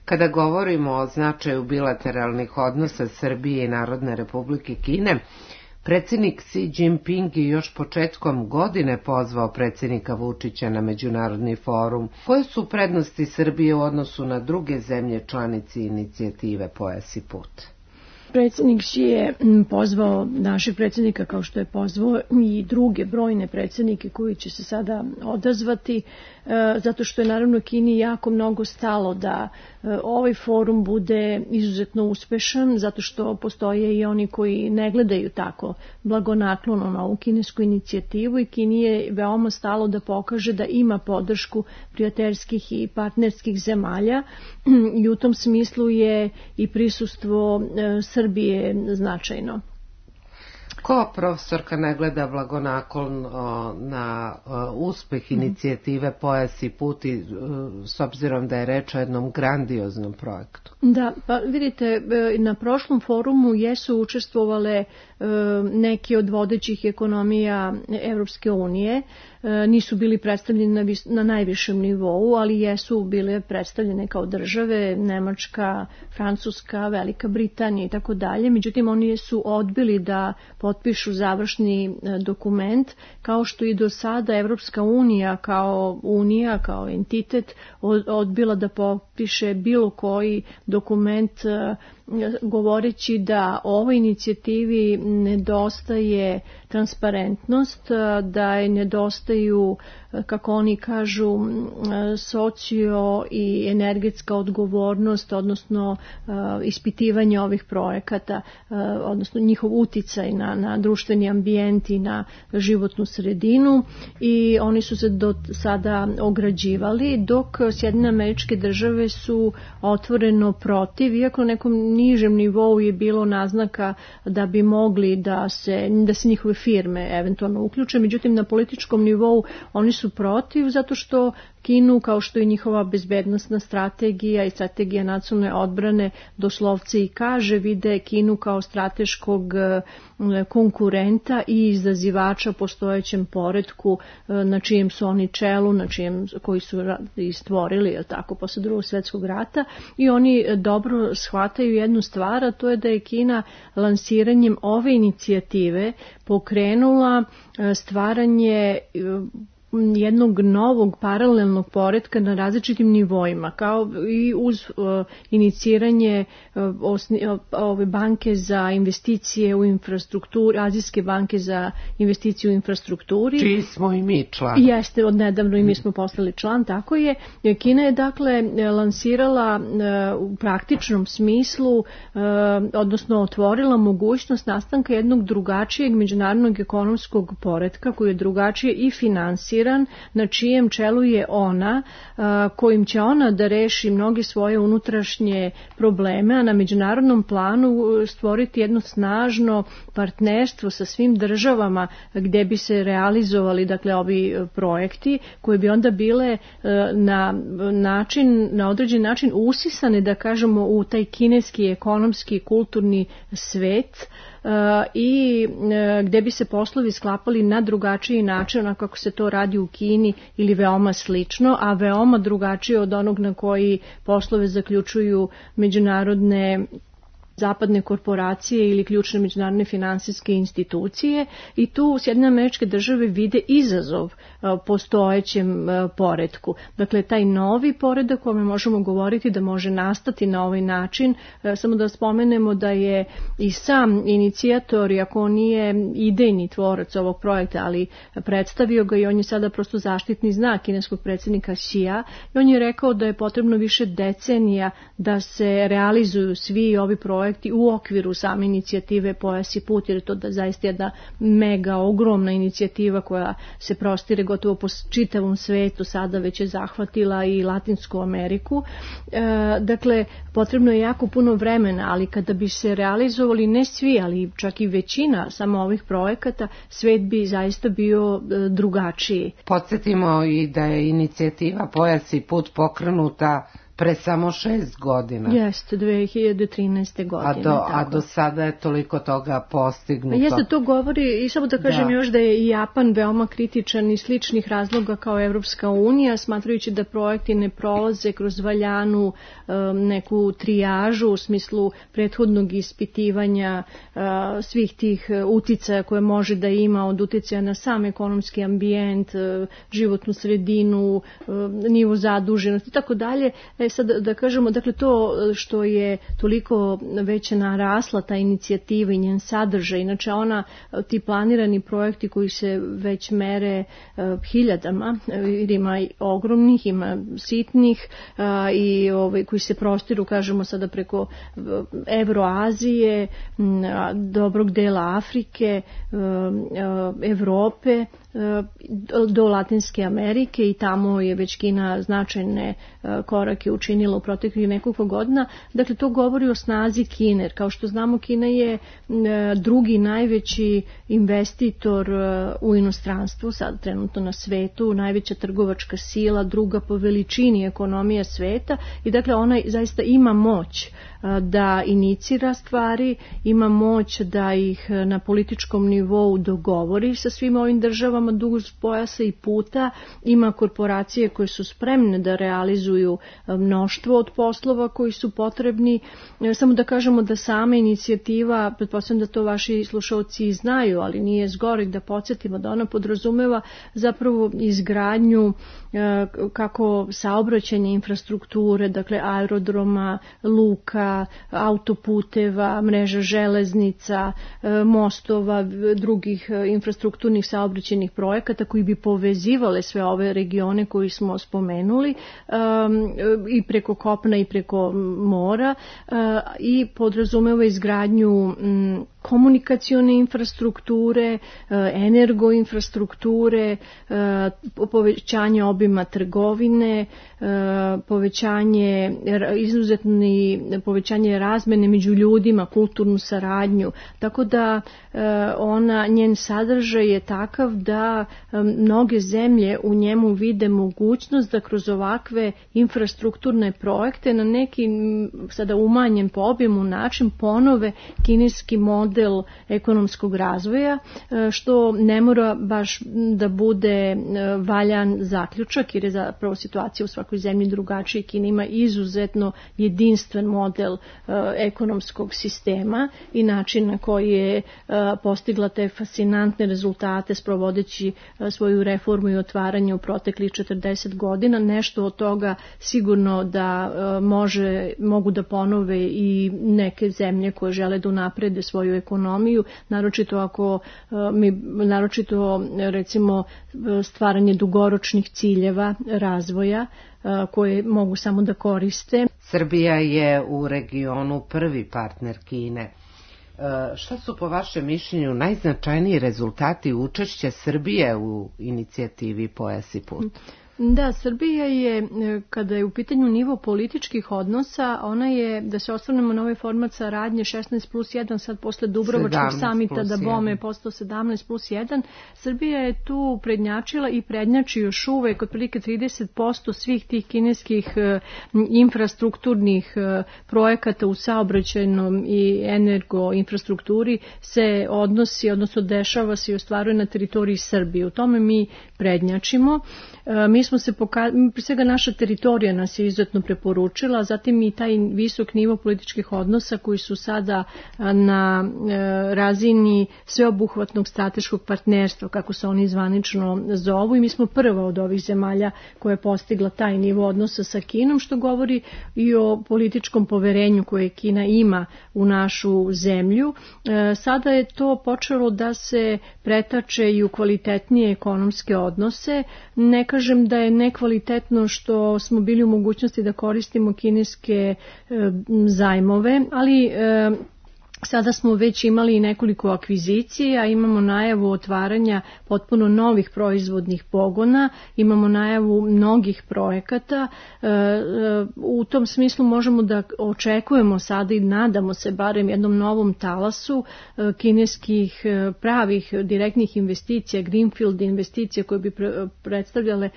Kada govorimo o značaju bilateralnih odnosa Srbije i Narodne Republike Kine, predsjednik Xi Jinping je još početkom godine pozvao predsjednika Vučića na međunarodni forum. Koje su prednosti Srbije u odnosu na druge zemlje članice inicijative Pojas i put? Predsjednik Xi je pozvao našeg predsjednika, kao što je pozvao i druge brojne predsjednike koji će se sada odazvati, zato što je naravno Kini jako mnogo stalo da ovaj forum bude izuzetno uspešan, zato što postoje i oni koji ne gledaju tako blagonaklono na ovu kinesku inicijativu i Kini je veoma stalo da pokaže da ima podršku prijateljskih i partnerskih zemalja i u tom smislu je i prisustvo Srbije značajno. Ko, profesorka, ne gleda blagonaklono na uspeh inicijative Pojas i put, s obzirom da je reč o jednom grandioznom projektu? Da, pa vidite, na prošlom forumu jesu učestvovale neki od vodećih ekonomija Evropske unije, nisu bili predstavljeni na najvišem nivou, ali jesu bile predstavljene kao države, Nemačka, Francuska, Velika Britanija i tako dalje. Međutim, oni su odbili da potpišu završni dokument, kao što i do sada Evropska unija kao entitet odbila da potpiše bilo koji dokument, govoreći da ovoj inicijativi nedostaje transparentnost, da je nedostaju, kako oni kažu, socio i energetska odgovornost, odnosno ispitivanje ovih projekata, odnosno njihov uticaj na društveni ambijent i na životnu sredinu, i oni su se do sada ograđivali, dok Sjedinjene Američke Države su otvoreno protiv, iako na nekom nižem nivou je bilo naznaka da bi mogli da se njihove firme eventualno uključe, međutim na političkom nivou oni su su protiv zato što Kinu, kao što i njihova bezbednosna strategija i strategija nacionalne odbrane doslovce i kaže, vide Kinu kao strateškog konkurenta i izazivača postojećem poretku na čijem su oni čelu, koji su i stvorili, tako, posle Drugog svjetskog rata, i oni dobro shvataju jednu stvar, a to je da je Kina lansiranjem ove inicijative pokrenula stvaranje jednog novog paralelnog poretka na različitim nivoima, kao i uz iniciranje ove banke za investicije u infrastrukturi, Azijske banke za investicije u infrastrukturi. Čiji smo i mi član. Jeste, odnedavno i mi smo postali član, tako je. Kina je dakle lansirala u praktičnom smislu, odnosno otvorila mogućnost nastanka jednog drugačijeg međunarodnog ekonomskog poretka koji je drugačije i finansiran, na čijem čelu je ona, kojim će ona da reši mnoge svoje unutrašnje probleme, a na međunarodnom planu stvoriti jedno snažno partnerstvo sa svim državama gde bi se realizovali, dakle, ovi projekti koji bi onda bile na određen način usisane, da kažemo, u taj kineski ekonomski kulturni svet, i gde bi se poslovi sklapali na drugačiji način, onako kako se to radi u Kini ili veoma slično, a veoma drugačije od onog na koji poslove zaključuju međunarodne zapadne korporacije ili ključne međunarodne finansijske institucije, i tu Sjedinjene Američke Države vide izazov postojećem poretku. Dakle, taj novi poredak o kome možemo govoriti da može nastati na ovaj način, samo da spomenemo da je i sam inicijator, iako on nije idejni tvorac ovog projekta, ali predstavio ga i on je sada prosto zaštitni znak kineskog predsjednika Xija, i on je rekao da je potrebno više decenija da se realizuju svi ovi projekti u okviru same inicijative Pojas i put, jer je to da zaista jedna mega ogromna inicijativa koja se prostire gotovo po čitavom svetu, sada već je zahvatila i Latinsku Ameriku. Dakle, potrebno je jako puno vremena, ali kada bi se realizovali ne svi, ali čak i većina samo ovih projekata, svet bi zaista bio drugačiji. Podsjetimo i da je inicijativa Pojas i put pokrenuta pre samo 6 godina. Jeste, 2013. godine. A do sada je toliko toga postignuto. Jeste, to govori, i samo da kažem još da je i Japan veoma kritičan iz sličnih razloga kao Evropska unija, smatrajući da projekti ne prolaze kroz valjanu neku trijažu u smislu prethodnog ispitivanja svih tih uticaja koje može da ima, od uticaja na sam ekonomski ambijent, životnu sredinu, nivo zaduženosti i tako dalje. Sad da kažemo, dakle, to što je toliko već narasla ta inicijativa i njen sadržaj, inače ti planirani projekti koji se već mere hiljadama, jer ima i ogromnih, ima sitnih i koji se prostiru, kažemo sada, preko Evroazije, dobrog dela Afrike, Evrope, do Latinske Amerike, i tamo je već Kina značajne korake učinila u proteklih nekoliko godina. Dakle, to govori o snazi Kine. Kao što znamo, Kina je drugi najveći investitor u inostranstvu, sad trenutno na svetu, najveća trgovačka sila, druga po veličini ekonomija sveta, i dakle ona zaista ima moć da inicira stvari, ima moć da ih na političkom nivou dogovori sa svim ovim državama duž pojasa i puta, ima korporacije koje su spremne da realizuju mnoštvo od poslova koji su potrebni. Samo da kažemo da sama inicijativa, pretpostavljam da to vaši slušalci znaju, ali nije zgoreg da podsjetimo da ona podrazumeva zapravo izgradnju kako saobraćajne infrastrukture, dakle aerodroma, luka, autoputeva, mreža železnica, mostova, drugih infrastrukturnih saobraćajnih projekata koji bi povezivale sve ove regione koji smo spomenuli, i preko kopna i preko mora, i podrazumeva izgradnju komunikacione infrastrukture, energoinfrastrukture, povećanje obima trgovine, povećanje povećanje razmene među ljudima, kulturnu saradnju, tako da njen sadržaj je takav da mnoge zemlje u njemu vide mogućnost da kroz ovakve infrastrukturne projekte na neki sada umanjen po objemu način ponove kineski model ekonomskog razvoja, što ne mora baš da bude valjan zaključak, jer je zapravo situacija u svakoj zemlji drugačija. Kina ima izuzetno jedinstven model ekonomskog sistema i način na koji je postigla te fascinantne rezultate sprovodeći svoju reformu i otvaranje u proteklih 40 godina. Nešto od toga sigurno da mogu da ponove i neke zemlje koje žele da unaprede svoju ekonomiju, naročito recimo stvaranje dugoročnih ciljeva razvoja koje mogu samo da koriste. Srbija je u regionu prvi partner Kine. Šta su po vašem mišljenju najznačajniji rezultati učešća Srbije u inicijativi Pojas i put? Da, Srbija je, kada je u pitanju nivo političkih odnosa, ona je, da se osvrnemo na ovaj format saradnje 16+1, sad posle Dubrovačkog samita da bome je postao 17+1, Srbija je tu prednjačila i prednjači još uvek otprilike 30% svih tih kineskih infrastrukturnih projekata u saobraćajnom i energoinfrastrukturi se odnosi, odnosno dešava se i ostvaruje na teritoriji Srbije. U tome mi prednjačimo. Mi smo se pre svega naša teritorija nas je izuzetno preporučila, zatim i taj visok nivo političkih odnosa koji su sada na razini sveobuhvatnog strateškog partnerstva, kako se oni zvanično zovu, i mi smo prva od ovih zemalja koja je postigla taj nivo odnosa sa Kinom, što govori i o političkom poverenju koje Kina ima u našu zemlju. Sada je to počelo da se pretače i u kvalitetnije ekonomske odnose. Ne kažem da je nekvalitetno što smo bili u mogućnosti da koristimo kineske zajmove, ali sada smo već imali nekoliko akvizicija, imamo najavu otvaranja potpuno novih proizvodnih pogona, imamo najavu mnogih projekata. U tom smislu možemo da očekujemo sada i nadamo se barem jednom novom talasu kineskih pravih direktnih investicija, greenfield investicija koje bi predstavljale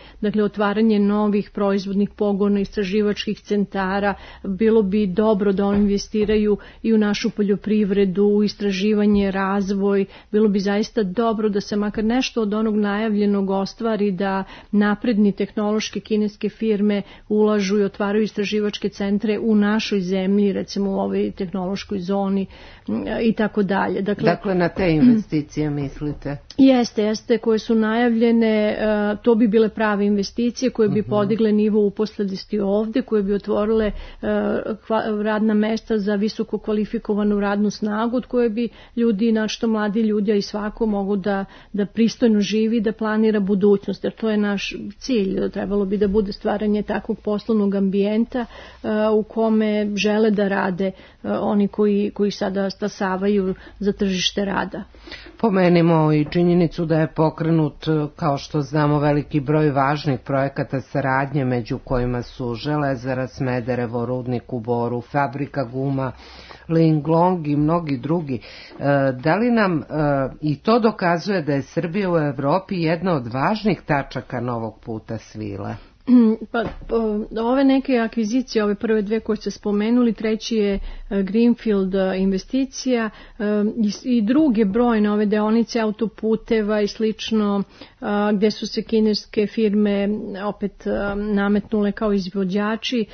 otvaranje novih proizvodnih pogona, istraživačkih centara. Bilo bi dobro da oni investiraju i u našu poljoprivredu, u istraživanje, razvoj. Bilo bi zaista dobro da se makar nešto od onog najavljenog ostvari, da napredni tehnološke kineske firme ulažu i otvaraju istraživačke centre u našoj zemlji, recimo u ovoj tehnološkoj zoni i tako dalje. Dakle, na te investicije mislite? Jeste, koje su najavljene, to bi bile prave investicije koje bi podigle nivo uposlenosti ovde, koje bi otvorile radna mesta za visoko kvalifikovanu radnu snagu, od koje bi ljudi, našto mladi ljudi, a i svako mogu da pristojno živi, da planira budućnost, jer to je naš cilj. Trebalo bi da bude stvaranje takvog poslovnog ambijenta u kome žele da rade oni koji sada stasavaju za tržište rada. Pomenimo i činjenicu da je pokrenut, kao što znamo, veliki broj važnih projekata saradnje, među kojima su Železara Smederevo, rudnik u Boru, fabrika guma Linglong i mnogi drugi. Da li nam i to dokazuje da je Srbija u Evropi jedna od važnih tačaka novog puta svila? Pa, ove neke akvizicije, ove prve dve koje ste spomenuli, treći je Greenfield investicija i druge brojne ove deonice autoputeva i slično, gde su se kineske firme opet nametnule kao izvođači,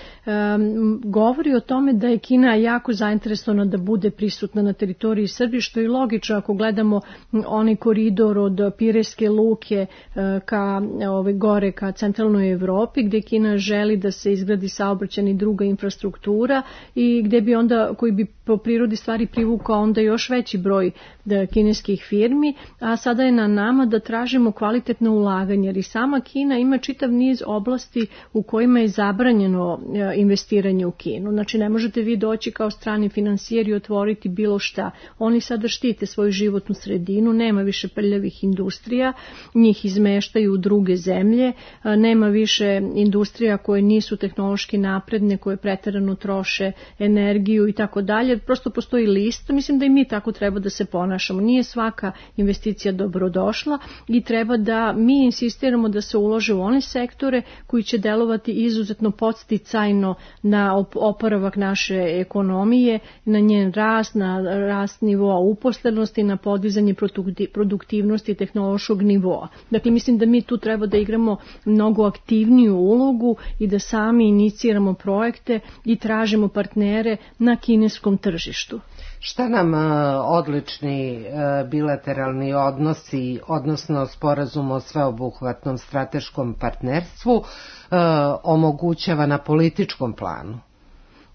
govori o tome da je Kina jako zainteresovana da bude prisutna na teritoriji Srbije, što je logično ako gledamo onaj koridor od Pirejske luke ka gore ka centralnoj Evropi, gde Kina želi da se izgradi saobraćajna i druga infrastruktura i gde bi onda, koji bi po prirodi stvari privukao onda još veći broj kineskih firmi, a sada je na nama da tražimo kvalitetno ulaganje, jer i sama Kina ima čitav niz oblasti u kojima je zabranjeno investiranje u Kinu. Znači ne možete vi doći kao strani finansijer i otvoriti bilo šta. Oni sada štite svoju životnu sredinu, nema više prljavih industrija, njih izmeštaju u druge zemlje, nema više industrija koje nisu tehnološki napredne, koje preterano troše energiju i tako dalje. Prosto postoji list. Mislim da i mi tako treba da se ponašamo. Nije svaka investicija dobrodošla i treba da mi insistiramo da se ulože u one sektore koji će delovati izuzetno podsticajno na oporavak naše ekonomije, na njen rast, na rast nivoa uposlenosti, na podizanje produktivnosti tehnološkog nivoa. Dakle, mislim da mi tu treba da igramo mnogo aktivniju ulogu i da sami iniciramo projekte i tražimo partnere na kineskom tržištu. Šta nam odlični bilateralni odnosi, odnosno sporazum o sveobuhvatnom strateškom partnerstvu omogućava na političkom planu?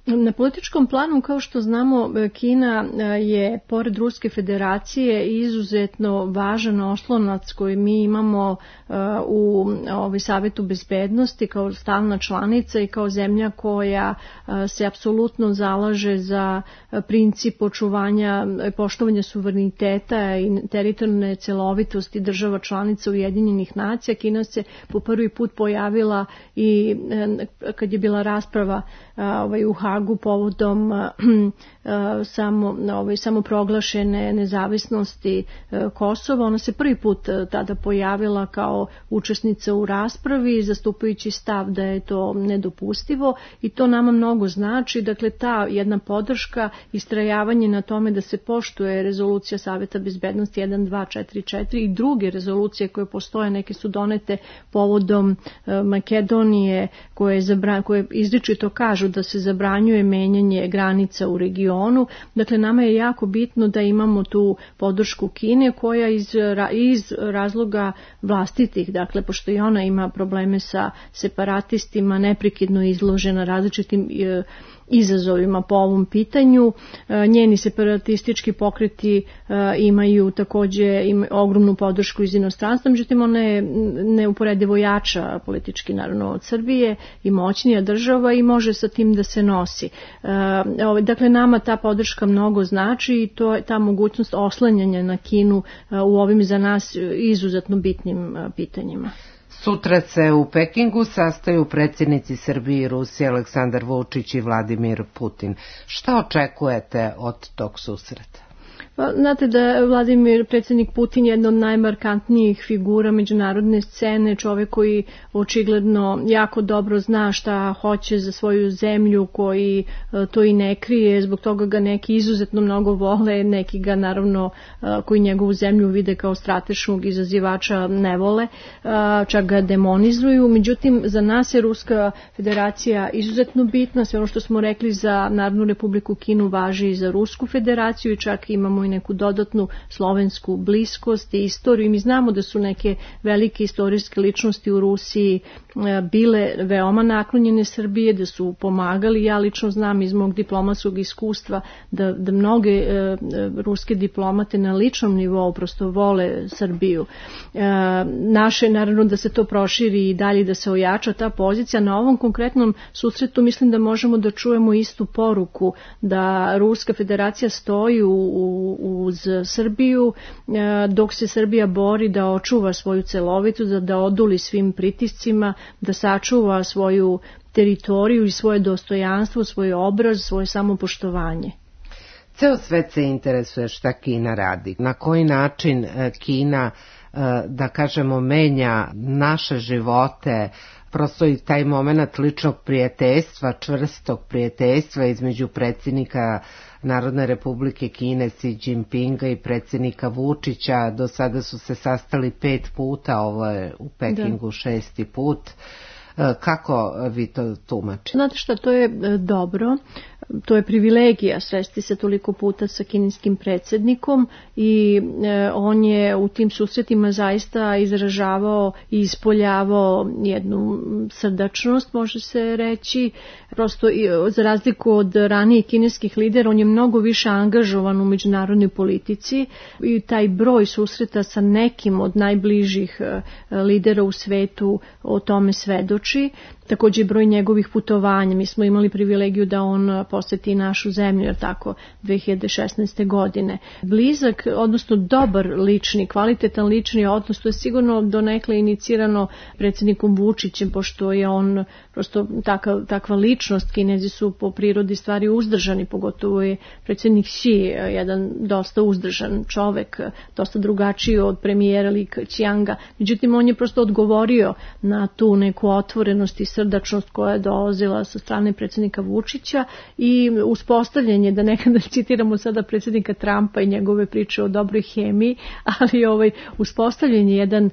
Na političkom planu, kao što znamo, Kina je, pored Ruske federacije, izuzetno važan oslonac koji mi imamo u Savetu bezbednosti kao stalna članica i kao zemlja koja se apsolutno zalaže za princip očuvanja i poštovanja suvereniteta i teritorijalne celovitosti država članica Ujedinjenih nacija. Kina se po prvi put pojavila i kad je bila rasprava u Hagu povodom samoproglašene nezavisnosti Kosova. Ona se prvi put tada pojavila kao učesnica u raspravi, zastupajući stav da je to nedopustivo i to nama mnogo znači. Dakle, ta jedna podrška, istrajavanje na tome da se poštuje rezolucija Saveta bezbednosti 1244 i druge rezolucije koje postoje, neke su donete povodom Makedonije koje izričito kažu da se zabranjuje menjanje granica u regionu. Dakle, nama je jako bitno da imamo tu podršku Kine koja iz razloga vlastitih, dakle, pošto i ona ima probleme sa separatistima, neprekidno izložena različitim izazovima po ovom pitanju. Njeni separatistički pokreti imaju takođe ogromnu podršku iz inostranstva, međutim ona je neuporedivo jača politički naravno od Srbije i moćnija država i može sa tim da se nosi. Dakle, nama ta podrška mnogo znači i to je ta mogućnost oslanjanja na Kinu u ovim za nas izuzetno bitnim pitanjima. Sutra se u Pekingu sastaju predsjednici Srbije i Rusije Aleksandar Vučić i Vladimir Putin. Šta očekujete od tog susreta? Znate da je Vladimir, predsjednik Putin, jedna od najmarkantnijih figura međunarodne scene, čovjek koji očigledno jako dobro zna šta hoće za svoju zemlju, koji to i ne krije, zbog toga ga neki izuzetno mnogo vole, neki ga naravno koji njegovu zemlju vide kao strateškog izazivača ne vole, čak ga demonizuju. Međutim, za nas je Ruska federacija izuzetno bitna, sve ono što smo rekli za Narodnu republiku Kinu važi i za Rusku federaciju i čak imamo i neku dodatnu slovensku bliskost i istoriju. I mi znamo da su neke velike istorijske ličnosti u Rusiji bile veoma naklonjene Srbije, da su pomagali. Ja lično znam iz mog diplomatskog iskustva da mnoge ruske diplomate na ličnom nivou prosto vole Srbiju. Naše, naravno, da se to proširi i dalje, da se ojača ta pozicija. Na ovom konkretnom susretu mislim da možemo da čujemo istu poruku, da Ruska federacija stoji uz Srbiju dok se Srbija bori da očuva svoju celovitost, da oduli svim pritiscima, da sačuva svoju teritoriju i svoje dostojanstvo, svoj obraz, svoje samopoštovanje. Ceo svet se interesuje šta Kina radi. Na koji način Kina, da kažemo, menja naše živote, prosto i taj moment ličnog prijateljstva, čvrstog prijateljstva između predsjednika Narodne republike Kine Xi Jinpinga i predsjednika Vučića. Do sada su se sastali 5 puta, ovo je u Pekingu 6. put. Kako vi to tumačite? Znate šta, to je dobro. To je privilegija sresti se toliko puta sa kineskim predsjednikom i on je u tim susretima zaista izražavao i ispoljavao jednu srdačnost, može se reći. Prosto za razliku od ranijih kineskih lidera, on je mnogo više angažovan u međunarodnoj politici i taj broj susreta sa nekim od najbližih lidera u svetu o tome svedoči. Također broj njegovih putovanja. Mi smo imali privilegiju da on poseti našu zemlju, jer tako, 2016. godine. Blizak, odnosno dobar lični, kvalitetan lični odnos, to je sigurno donekle inicirano predsjednikom Vučićem, pošto je on prosto takva ličnost. Kinezi su po prirodi stvari uzdržani, pogotovo je predsjednik Xi jedan dosta uzdržan čovek, dosta drugačiji od premijera Li Keqianga. Međutim, on je prosto odgovorio na tu neku otvorenost i srdačnost koja je dolazila sa strane predsjednika Vučića i uspostavljanje, da nekada citiramo sada predsjednika Trumpa i njegove priče o dobroj hemiji, ali uspostavljanje jedan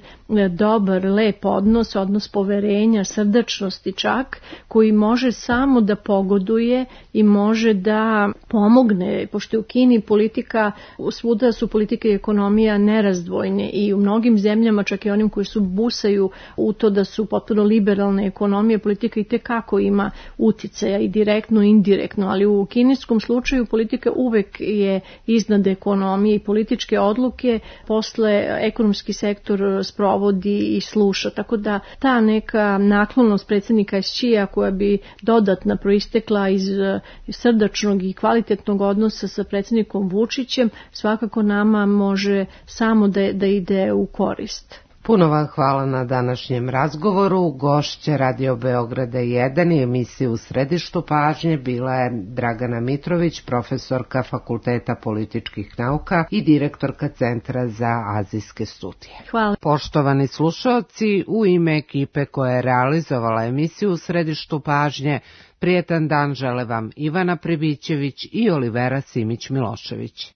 dobar, lep odnos poverenja, srdačnosti čak, koji može samo da pogoduje i može da pomogne, pošto je u Kini politika, svuda su politika i ekonomija nerazdvojne i u mnogim zemljama, čak i onim koji su busaju u to da su potpuno liberalne ekonomije, politika i tekako ima uticaja i direktno i indirektno, ali u kineskom slučaju politika uvek je iznad ekonomije i političke odluke posle ekonomski sektor sprovodi i sluša, tako da ta neka naklonost predsjednika Xija koja bi dodatno proistekla iz srdačnog i kvalitetnog odnosa sa predsjednikom Vučićem svakako nama može samo da ide u korist. Puno vam hvala na današnjem razgovoru. Gošća Radio Beograda 1 i emisije U središtu pažnje bila je Dragana Mitrović, profesorka Fakulteta političkih nauka i direktorka Centra za azijske studije. Hvala. Poštovani slušalci, u ime ekipe koja je realizovala emisiju U središtu pažnje, prijetan dan žele vam Ivana Pribićević i Olivera Simić-Milošević.